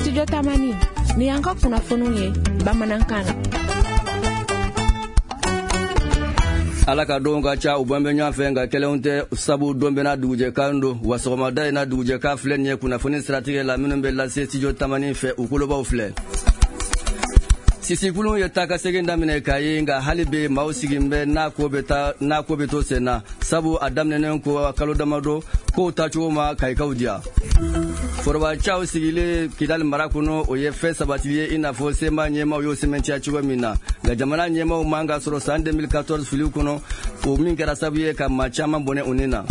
Studio Tamani, ni y'an ka kunnafoniw ye bamanankan na. Ala ka donw ka ca, u bɔn bɛ ɲɔgɔn fɛ, nka kelenw tɛ, sabu don bɛɛ n'a dugujɛkan don. Wa sɔgɔmada in na, dugujɛkan filɛ nin ye kunnafoni siratigɛ la minnu bɛ lase Studio Tamani fɛ, u kolobaw filɛ. Sisikulun ye taa ka segin daminɛ k'a ye, nka hali bi maaw sigin bɛ n'a ko bɛ taa n'a ko bɛ to sen na, sabu a daminɛnen ko kalo damadɔ, kow taacogo ma kayikaw diya. Forobacaw sigilen Kidali mara kɔnɔ, o ye fɛn sabati ye, i n'a fɔ CMA ɲɛmaaw y'o sɛmɛntiya cogo min na. Nka jamana ɲɛmaaw man ka sɔrɔ san 2014 filiw kɔnɔ, o min kɛra sababu ye ka maa caman bɔnɛ u ni na.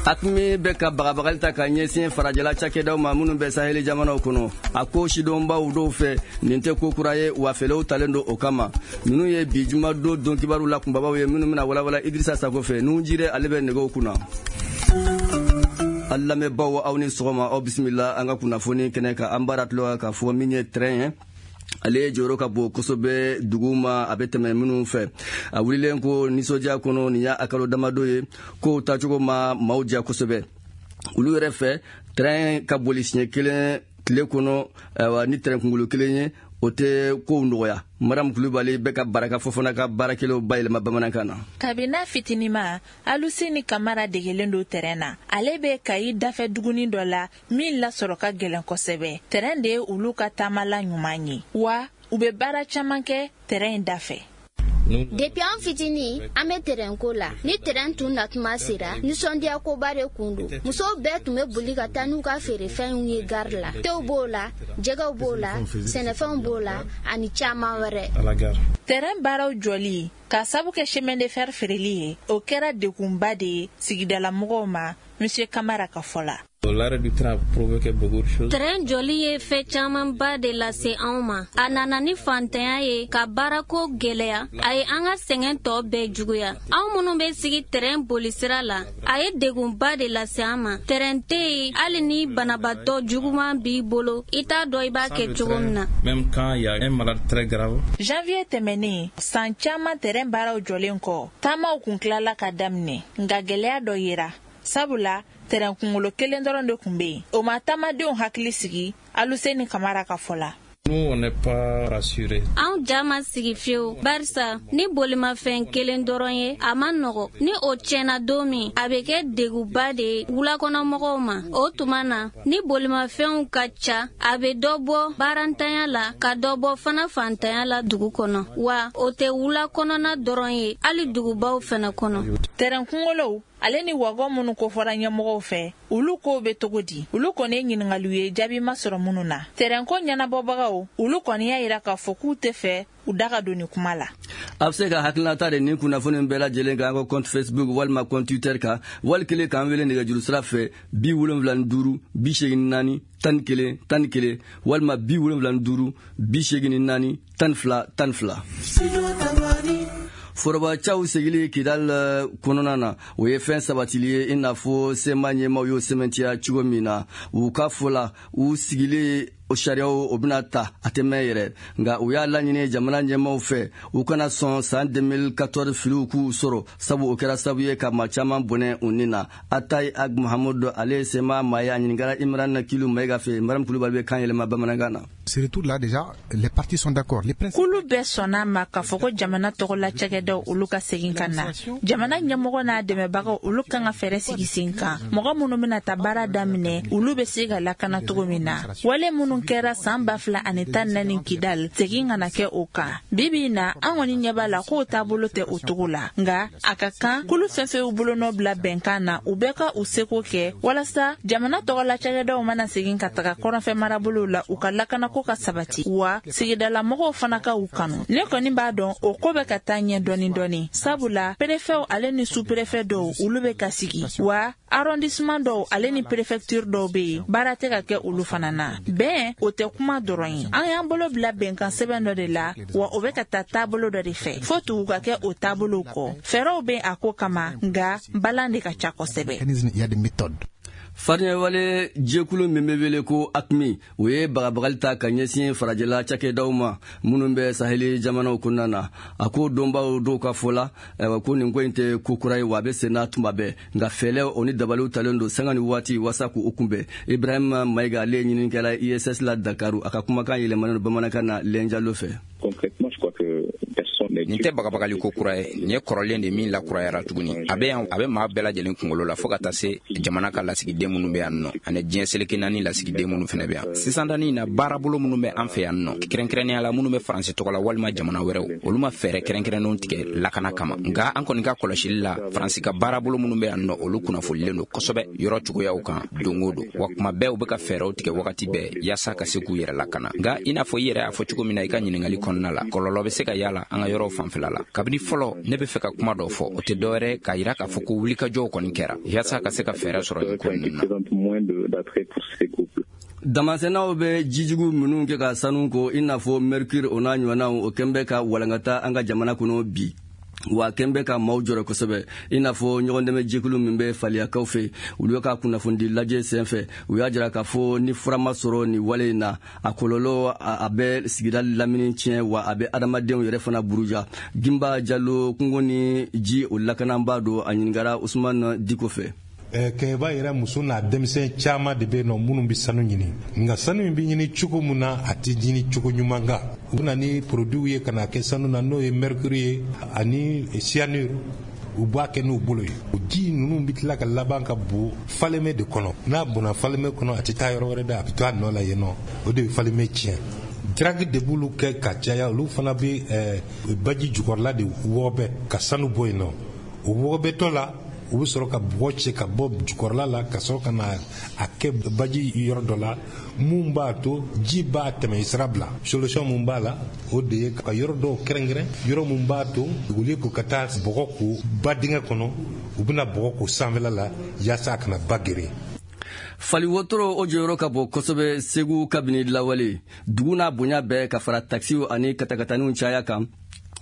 AQMI bɛ ka bagabagali ta ka ɲɛsin farajɛla cakɛdaw ma minnu bɛ saheli jamanaw kɔnɔ. A ko sidɔnbaw dɔw fɛ, nin tɛ ko kura ye, wa fɛlɛw talen don o kama. Ninnu ye bi jumadon don kibaru la kunbabaw ye minnu bɛna walawala Idrissa Sako fɛ. Nuhu Jire, ale bɛ nɛgɛw kunna. An lamɛnbaw, aw ni sɔgɔma, aw bisimila an ka kunnafoni kɛnɛ kan. An baara tulo k'a fɔ min ye train ye, ale jɔyɔrɔ ka bon kosɛbɛ dugu ma, a bɛ tɛmɛ minnu fɛ. A wulilen ko nisɔndiya kɔnɔ, nin y'a a kalo damadɔ ye, kow taacogo ma maaw diya kosɛbɛ. Olu yɛrɛ fɛ, train ka boli siɲɛ kelen tile kɔnɔ, ayiwa, ni train kunkolo kelen ye, o tɛ kow nɔgɔya. Mariam Kulubali bɛ ka Baraka Fofana ka baarakɛlaw bayɛlɛma bamanankan na. Kabini fitinima, Aluseni Kamara degelen don tɛrɛn na. Ale bɛ Kayi dafɛ duguni dɔ la min lasɔrɔ ka gɛlɛn kosɛbɛ. Tɛrɛn de ye olu ka taamala ɲuman ye, wa u bɛ baara caman kɛ tɛrɛn in dafɛ. Depuis an fitinin, an bɛ tɛrɛnko la. Ni tɛrɛn tun natuma sera, nisɔndiya koba de kun don. Musow bɛɛ tun bɛ boli ka taa n'u ka feerefɛnw ye gari la. Tew b'o la, jɛgɛw b'o la, sɛnɛfɛnw b'o la, ani caman wɛrɛ. Tɛrɛn baaraw jɔli k'a sabu kɛ chemin de fer feereli ye, o kɛra degunba de ye sigidalamɔgɔw ma, Monsieur Kamara ka fɔ la. Tɛrɛn jɔli ye fɛn camanba de lase anw ma. A nana ni fantanya ye, ka baarako gwɛlɛya. A ye an ka sɛgɛn tɔ bɛɛ juguya. Anw minnu bɛ sigi tɛrɛn bolisira la, a ye degunba de lase an ma. Tɛrɛn tɛ yen, hali ni banabaatɔ juguman b'i bolo, i t'a dɔn i b'a kɛ cogo min na. Janvier tɛmɛnen, san caman tɛrɛn baaraw jɔlen kɔ, taamaw kun tilala ka daminɛ, nka gɛlɛya dɔ yera, sabula tɛrɛn kunkolo kelen dɔrɔn de tun bɛ yen. O ma taamadenw hakili sigi, Aluseni Kamara ka fɔ la. Anw ja ma sigi fiyewu, barisa ni bolimafɛn kelen dɔrɔn ye, a ma nɔgɔ. Ni o tiɲɛna don min, a bɛ kɛ deguba de ye wulakɔnɔmɔgɔw ma. O tuma na, ni bolimafɛnw ka ca, a bɛ dɔ bɔ baarantanya la, ka dɔ bɔ fana fantanya la dugu kɔnɔ. Wa o tɛ wula kɔnɔna dɔrɔn ye, hali dugubaw fana kɔnɔ. Tɛrɛn kunkolow ale ni wagɔn minnu kofɔra ɲɛmɔgɔw fɛ, olu kow bɛ cogo di? Olu kɔni ye ɲiningaliw ye, jaabi ma sɔrɔ minnu na. Tɛrɛnko ɲɛnabɔbagaw, olu kɔni y'a yira k'a fɔ k'u tɛ fɛ u da ka don nin kuma la. A bɛ se ka hakilinata de nin kunnafoni bɛɛ lajɛlen kan an ka compte Facebook walima compte Twitter kan, wali kelen k'an wele nɛgɛjuru sira fɛ 75 84 11 11 walima 75 84 12 12. Forobacaw segili Kidal kɔnɔna na, o ye fɛn sabatili ye, i n'a fɔ CMA ɲɛmaaw y'o sɛmɛntiya cogo min na. U ka fɔ la, u sigilen, o sariyaw o bɛna ta, a tɛ mɛn yɛrɛ. Nka u y'a laɲini jamana ɲɛmaaw fɛ, u kana sɔn san 2014 filiw k'u sɔrɔ, sabu o kɛra sababu ye ka maa caman bɔnɛ u ni na. Atayi Ag Mahamudu, ale ye CMA maa ye, a ɲininkara Imran Kilu Mayiga fɛ. Mariam Kulubali bɛ kan yɛlɛma bamanankan na. Ce retour-là, déjà, les partis sont d'accord. Les principes. Kulu bɛɛ sɔnna ma k'a fɔ ko jamana tɔgɔla cakɛdaw, olu ka segin ka na. Jamana ɲɛmɔgɔ n'a dɛmɛbagaw, olu kan ka fɛɛrɛ sigi sen kan, mɔgɔ minnu bɛna taa baara daminɛ, olu bɛ se ka lakana cogo min na. Wale minnu kɛra san 2014 Kidal, segin kana kɛ o kan. Bi bi in na, an kɔni ɲɛ b'a la k'o taabolo tɛ o cogo la. Nka a ka kan kulu fɛn fɛn y'u bolonɔ bila bɛnkan na, u bɛɛ ka u seko kɛ walasa jamana tɔgɔla cakɛdaw mana segin ka taga kɔrɔnfɛ marabolow la, u ka lakanako ka sabati, wa sigidalamɔgɔw fana ka u kanu. Ne kɔni b'a dɔn o ko bɛ ka taa ɲɛ dɔɔni dɔɔni, sabula perefɛw ale ni sous-préfet dɔw, olu bɛ ka sigi, wa arrondissement dɔw ale ni préfecture dɔw bɛ yen, baara tɛ ka kɛ olu fana na. Bɛn, o tɛ kuma dɔrɔn ye. An y'an bolo bila bɛnkan sɛbɛn dɔ de la, wa o bɛ ka taa taabolo dɔ de fɛ, fo tugu ka kɛ o taabolow kɔ. Fɛɛrɛw bɛ a ko kama, nka balan de ka ca kosɛbɛ. Il y a des méthodes. Fariɲɛwale jɛkulu min bɛ wele ko AQMI, o ye bagabagali ta ka ɲɛsin farajɛla cakɛdaw ma minnu bɛ saheli jamanaw kɔnɔna na. A ko dɔnbaw dɔw ka fɔ la, ayiwa, ko nin ko in tɛ ko kura ye, wa a bɛ senna tuma bɛɛ, nka fɛɛrɛ o ni dabaliw talen don sanga ni waati waasa k'o kunbɛn. Ibrahima Mayiga, ale ye ɲininikɛla ISS la Dakaru, a ka kumakan yɛlɛmanen don bamanankan na Lɛnjalo fɛ. Nin tɛ bagabagali ko kura ye. Nin ye kɔrɔlen de min lakurayara tuguni. A bɛ yan, a bɛ maa bɛɛ lajɛlen kunkolo la, fɔɔ ka taa se jamana ka lasigiden minnu bɛ yan nɔ ani diɲɛ seleke naani lasigiden minnu fana bɛ yan sisan. Danni na, baarabolo minnu bɛ an fɛ yan nɔ, kɛrɛnkɛrɛnnenya la minnu bɛ Faransi tɔgɔ la walima jamana wɛrɛw, olu ma fɛɛrɛ kɛrɛnkɛrɛnnenw tigɛ lakana kama. Nka an kɔni ka kɔlɔsili la, Faransi ka baarabolo minnu bɛ yan nɔ, olu kunnafolilen don kosɛbɛ yɔrɔ cogoyaw kan don o don, wa kuma bɛɛ u bɛ ka fɛɛrɛw tigɛ wagati bɛɛ yaasa ka se k'u yɛrɛ lakana. Nka i n'a fɔ i yɛrɛ y'a fɔ cogo min na i ka ɲininkali kɔnɔna la, kɔlɔlɔ bɛ se ka yala an ka yɔrɔw fanfɛla la. Kabini fɔlɔ, ne bɛ fɛ ka kuma dɔ fɔ, o tɛ dɔwɛrɛ k'a yira k'a fɔ ko wulikajɔw kɔni kɛra yaasa ka se ka fɛɛrɛ sɔrɔ nin ko ninnu na. Damasɛnnaw bɛ jijugu minnu kɛ ka sanu ko, i n'a fɔ mercure, o n'a ɲɔgɔnnaw, o kɛn bɛ ka walankata an ka jamana kɔnɔ bi, wa kɛn bɛ ka maaw jɔrɔ kosɛbɛ. I n'a fɔ ɲɔgɔndɛmɛ jɛkulu min bɛ faliyakaw fɛ, olu ka kunnafonidi lajɛ senfɛ, u y'a jira k'a fɔ ni fura ma sɔrɔ nin wale in na, a kɔlɔlɔ a bɛ sigida lamini tiɲɛ, wa a bɛ adamadenw yɛrɛ fana buruja. Gimba Jalo, kungo ni ji o lakanabaa don, a ɲininkara Usman Diko fɛ. Kɛɲɛba yɛrɛ, muso n'a denmisɛn caman de bɛ yen nɔ minnu bɛ sanu ɲini. Nka sanu in bɛ ɲini cogo min na, a tɛ ɲini cogo ɲuman kan. U bɛ na ni produit ye ka na kɛ sanu na, n'o ye mercure ye ani cyanure. U b'a kɛ n'u bolo ye. O ji ninnu bɛ tila ka laban ka bon Falémé de kɔnɔ. N'a bɔnna Falémé kɔnɔ, a tɛ taa yɔrɔ wɛrɛ dɛ, a bɛ to a nɔ la yen nɔ. O de bɛ Falémé tiɲɛ. Drague de b'olu kɛ ka caya. Olu fana bɛ baji jukɔrɔla de wɔgɔbɛ ka sanu bɔ yen nɔ. O wɔgɔbɛtɔ la, u bɛ sɔrɔ ka bɔgɔ cɛ ka bɔ jukɔrɔla la, ka sɔrɔ ka na a kɛ baji yɔrɔ dɔ la mun b'a to ji b'a tɛmɛ sira bila. Solution mun b'a la, o de ye ka yɔrɔ dɔw kɛrɛnkɛrɛn, yɔrɔ mun b'a to olu ko ka taa bɔgɔ ko ba dingɛ kɔnɔ, u bɛna bɔgɔ ko sanfɛla la yaasa a kana ba geren. Fali wotoro, o jɔyɔrɔ ka bon kosɛbɛ Segu kabini lawale. Dugu n'a bonya bɛɛ, ka fara takisiw ani katakataniw caya kan,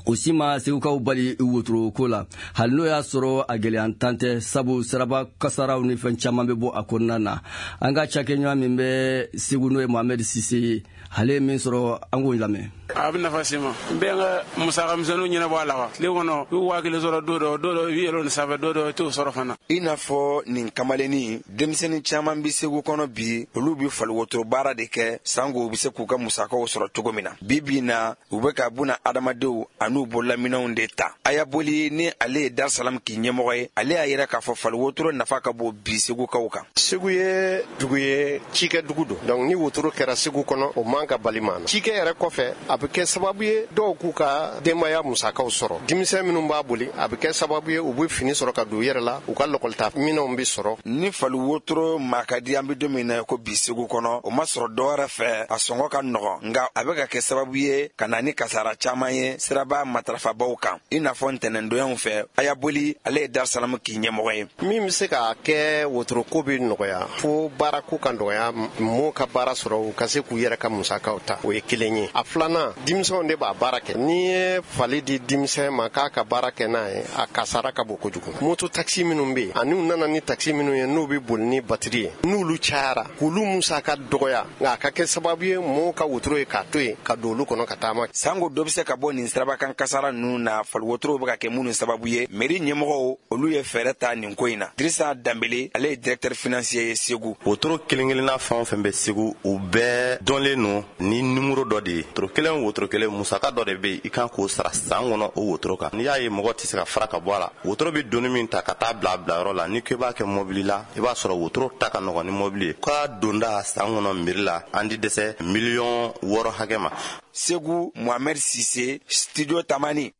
o si ma Segukaw bali wotoro ko la, hali n'o y'a sɔrɔ a gɛlɛyantan tɛ, sabu siraba kasaraw ni fɛn caman bɛ bɔ a kɔnɔna na. An ka cakɛɲɔgɔn min bɛ Segu, n'o ye Mohamɛd Sise ye, ale ye min sɔrɔ, an k'o lamɛn. A bɛ nafa se ma. N bɛ n ka musaka misɛnninw ɲɛnabɔ a la wa. Tile kɔnɔ, i bɛ 1000 sɔrɔ don dɔ, don dɔ i bɛ yɛlɛ o ni sanfɛ, don dɔ i t'o sɔrɔ fana. I n'a fɔ nin kamalennin, denmisɛnnin caman bɛ Segu kɔnɔ bi, olu bɛ faliwotoro baara de kɛ sango u bɛ se k'u ka musakaw sɔrɔ cogo min na. Bi bi in na, u bɛ ka buna adamadenw an'u bololaminɛnw de ta. Ayaboli ni ale ye Dar Salam k'i ɲɛmɔgɔ ye, ale y'a yira k'a fɔ faliwotoro nafa ka bon bi Segukaw kan. Segu ye dugu ye, cikɛ dugu don. Donc ni wotoro kɛra Segu kɔnɔ, o man ka bali maa na. Cikɛ yɛrɛ kɔfɛ, a bɛ kɛ sababu ye dɔw k'u ka denbaya musakaw sɔrɔ. Denmisɛn minnu b'a boli, a bɛ kɛ sababu ye u bɛ fini sɔrɔ ka don u yɛrɛ la, u ka lɔkɔlita minɛnw bɛ sɔrɔ. Ni fali wotoro maa ka di, an bɛ don min na ko bi Segu kɔnɔ, o ma sɔrɔ dɔwɛrɛ fɛ, a sɔngɔ ka nɔgɔn, nka a bɛ ka kɛ sababu ye ka na ni kasara caman ye siraba matarafabaw kan, i n'a fɔ ntɛnɛndonyaw fɛ. Ayaboli, ale ye Dar Salam k'i ɲɛmɔgɔ ye. Min bɛ se ka kɛ wotoroko bɛ nɔgɔya, fo baarako ka nɔgɔya, mɔɔw ka baara sɔrɔ, u ka se k'u yɛrɛ ka musakaw ta, o ye kelen ye. A filanan, denmisɛnw de b'a baara kɛ. N'i ye fali di denmisɛn ma k'a ka baara kɛ n'a ye, a kasara ka bon kojugu. Moto takisi minnu bɛ yen, ani u nana ni takisi minnu ye n'u bɛ boli ni batiri ye, n'olu cayara k'olu musaka dɔgɔya, nka a ka kɛ sababu ye mɔɔw ka wotoro ye k'a to yen ka don olu kɔnɔ ka taama. Sango dɔ bɛ se ka bɔ nin sirabakan kasara ninnu na, faliwotorow bɛ ka kɛ minnu sababu ye, mairie ɲɛmɔgɔw, olu ye fɛɛrɛ ta nin ko in na. Dirisa Danbele, ale ye directeur financier ye Segu. Wotoro kelen kelenna fɛn o fɛn bɛ Segu, u bɛɛ dɔnlen don ni nimoro dɔ de ye. Wotoro kelen, wotoro kelen, musaka dɔ de bɛ yen i kan k'o sara san kɔnɔ o wotoro kan. N'i y'a ye mɔgɔ tɛ se ka fara ka bɔ a la, wotoro bɛ doni min ta ka taa bila bilayɔrɔ la, n'i ko i b'a kɛ mɔbili la, i b'a sɔrɔ wotoro ta ka nɔgɔn ni mɔbili ye. K'a donda san kɔnɔ mairie la, an ti dɛsɛ 6 miliyɔn hakɛ ma. Segu, Mohamed Sise, Studio Tamani.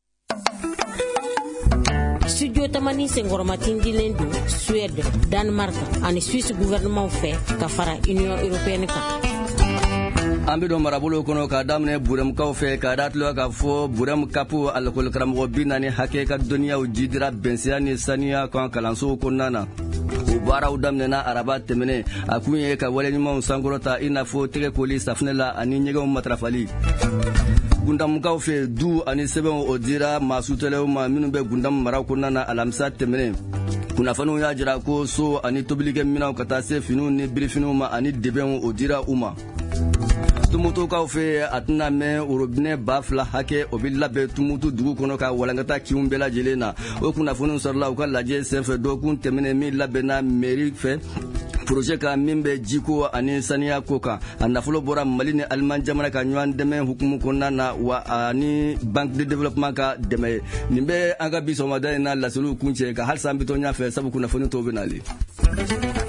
Studio Tamani senkɔrɔmatindilen don Suède, Danemark ani Suisse gouvernement fɛ, ka fara Union européenne kan. An bɛ don marabolo kɔnɔ, k'a daminɛ Burɛmukaw fɛ, k'a da tulo k'a fɔ Burɛmu kapu alakɔli karamɔgɔ 40 hakɛ ka dɔnniyaw jidira bɛnsenya ni saniya kan kalansow kɔnɔna na. O baaraw daminɛna araba tɛmɛnen. A kun ye ka wale ɲumanw sankɔrɔta, i n'a fɔ tɛgɛ koli safunɛ la ani ɲɛgɛnw matarafali. Gundamukaw fɛ, du ani sɛbɛnw, o dira maa sutɛlɛw ma minnu bɛ Gundamu mara kɔnɔna na alamisa tɛmɛnen. Kunnafoniw y'a jira ko so ani tobilikɛminɛnw ka taa se finiw ni birifiniw ma ani dɛbɛnw, o dira u ma. Tumutukaw fɛ, a tɛna mɛn, orobinɛ 2000 hakɛ, o bɛ labɛn Tumutu dugu kɔnɔ ka walankata kinw bɛɛ lajɛlen na. O kunnafoniw sɔrɔla u ka lajɛ senfɛ dɔgɔkun tɛmɛnen min labɛnna mairie fɛ, projet kan min bɛ jiko ani saniya ko kan. A nafolo bɔra Mali ni Aliman jamana ka ɲɔgɔn dɛmɛ hukumu kɔnɔna na wa, ani Banque de développement ka dɛmɛ ye. Nin bɛ an ka bi sɔgɔmada in na laseliw kuncɛ ka halisa an bɛ to ɲɛfɛ, sabu kunnafoni tɔw bɛ nali.